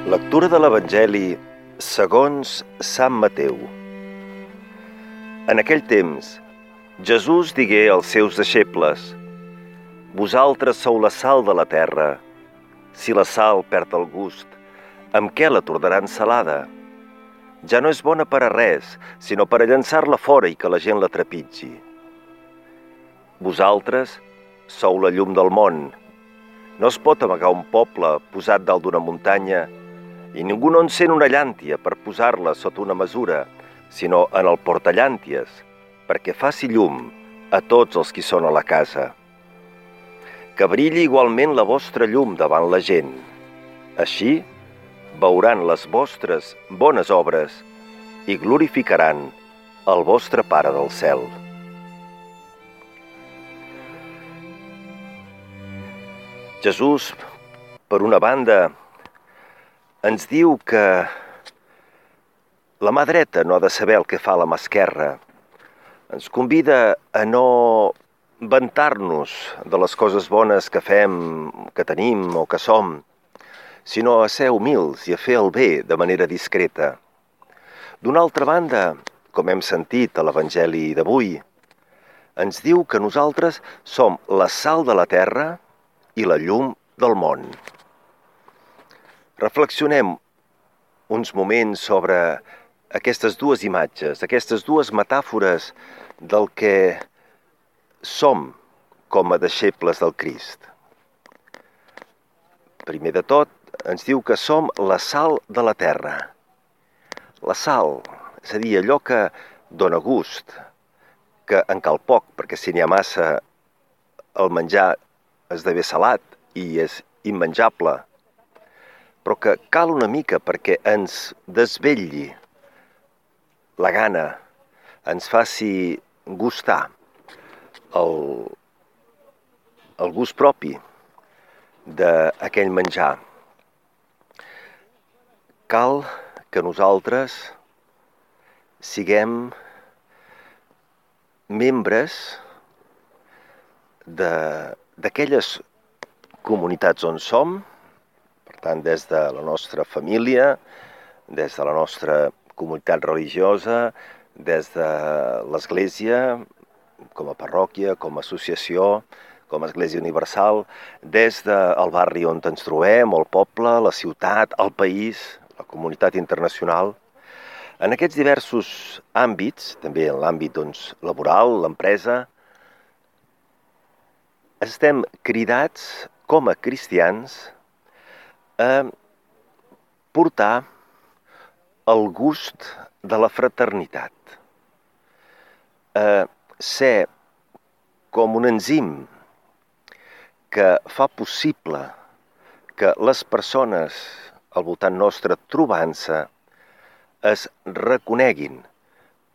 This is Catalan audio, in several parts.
Lectura de l'Evangeli segons Sant Mateu. En aquell temps, Jesús digué als seus deixebles: Vosaltres sou la sal de la terra. Si la sal perd el gust, amb què la tornaran salada? Ja no és bona per a res, sinó per a llançar-la fora i que la gent la trepitgi. Vosaltres sou la llum del món. No es pot amagar un poble posat dalt d'una muntanya i ningú no encén una llàntia per posar-la sota una mesura, sinó en el portallànties, perquè faci llum a tots els qui són a la casa. Que brilli igualment la vostra llum davant la gent. Així veuran les vostres bones obres i glorificaran el vostre Pare del cel. Jesús, per una banda, ens diu que la mà dreta no ha de saber el que fa la mà esquerra. Ens convida a no vantar-nos de les coses bones que fem, que tenim o que som, sinó a ser humils i a fer el bé de manera discreta. D'una altra banda, com hem sentit a l'Evangeli d'avui, ens diu que nosaltres som la sal de la terra i la llum del món. Reflexionem uns moments sobre aquestes dues imatges, aquestes dues metàfores del que som com a deixebles del Crist. Primer de tot, ens diu que som la sal de la terra. La sal, és a dir, allò que dona gust, que en cal poc, perquè si n'hi ha massa, el menjar esdevé salat i és immenjable, però que cal una mica perquè ens desvetlli la gana, ens faci gustar el gust propi d'aquell menjar. Cal que nosaltres siguem membres d'aquelles comunitats on som, per tant, des de la nostra família, des de la nostra comunitat religiosa, des de l'Església, com a parròquia, com a associació, com a Església Universal, des del barri on ens trobem, el poble, la ciutat, el país, la comunitat internacional. En aquests diversos àmbits, també en l'àmbit laboral, l'empresa, estem cridats com a cristians a portar el gust de la fraternitat, a ser com un enzim que fa possible que les persones al voltant nostre trobant-se es reconeguin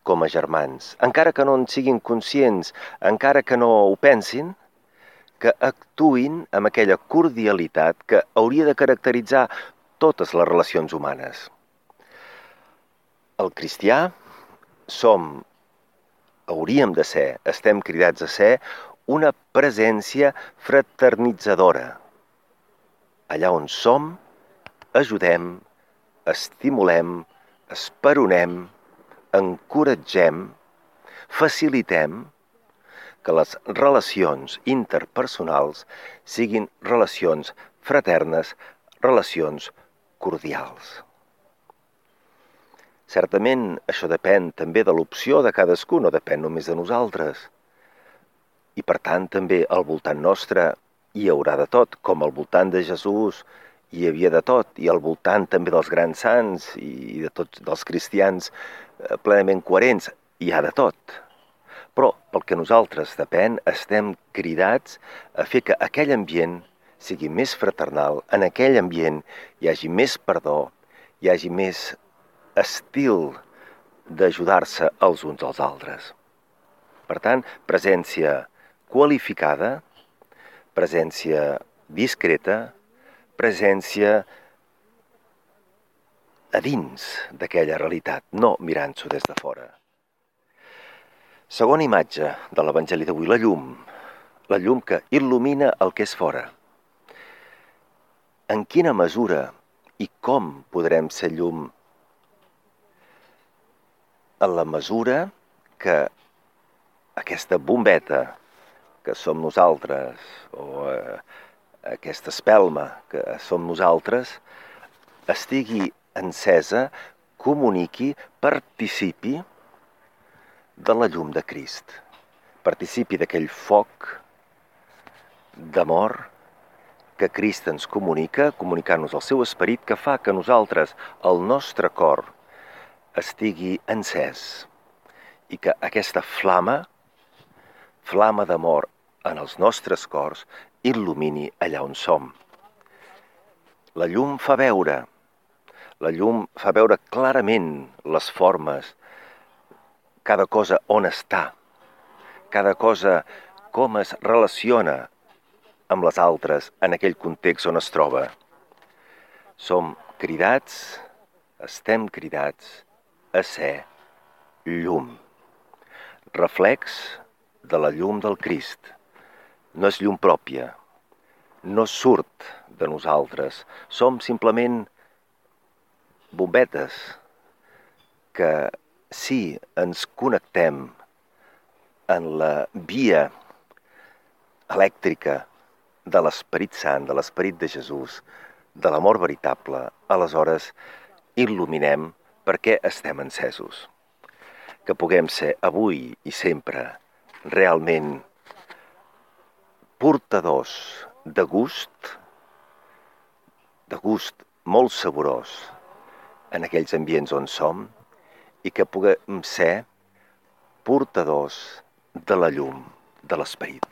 com a germans, encara que no en siguin conscients, encara que no ho pensin, que actuïn amb aquella cordialitat que hauria de caracteritzar totes les relacions humanes. El cristià hauríem de ser, estem cridats a ser, una presència fraternitzadora. Allà on som, ajudem, estimulem, esperonem, encoratgem, facilitem que les relacions interpersonals siguin relacions fraternes, relacions cordials. Certament, això depèn també de l'opció de cadascú, no depèn només de nosaltres. I per tant, també al voltant nostre hi haurà de tot, com al voltant de Jesús hi havia de tot, i al voltant també dels grans sants i de tots dels cristians plenament coherents, hi ha de tot. Però pel que nosaltres depèn, estem cridats a fer que aquell ambient sigui més fraternal, en aquell ambient hi hagi més perdó, hi hagi més estil d'ajudar-se els uns als altres. Per tant, presència qualificada, presència discreta, presència a dins d'aquella realitat, no mirant-s'ho des de fora. Segona imatge de l'Evangeli d'avui, la llum que il·lumina el que és fora. En quina mesura I com podrem ser llum? En la mesura que aquesta bombeta que som nosaltres, o aquesta espelma que som nosaltres, estigui encesa, comuniqui, participi de la llum de Crist. Participi d'aquell foc d'amor que Crist ens comunica, comunicant-nos el seu esperit, que fa que nosaltres, el nostre cor, estigui encès i que aquesta flama d'amor en els nostres cors, il·lumini allà on som. La llum fa veure clarament les formes, cada cosa on està, cada cosa com es relaciona amb les altres en aquell context on es troba. Estem cridats a ser llum, reflex de la llum del Crist. No és llum pròpia, no surt de nosaltres, som simplement bombetes que si ens connectem en la via elèctrica de l'Esperit Sant, de l'Esperit de Jesús, de l'amor veritable, aleshores il·luminem perquè estem encesos. Que puguem ser avui i sempre realment portadors de gust molt saborós en aquells ambients on som i que puguem ser portadors de la llum de l'Esperit.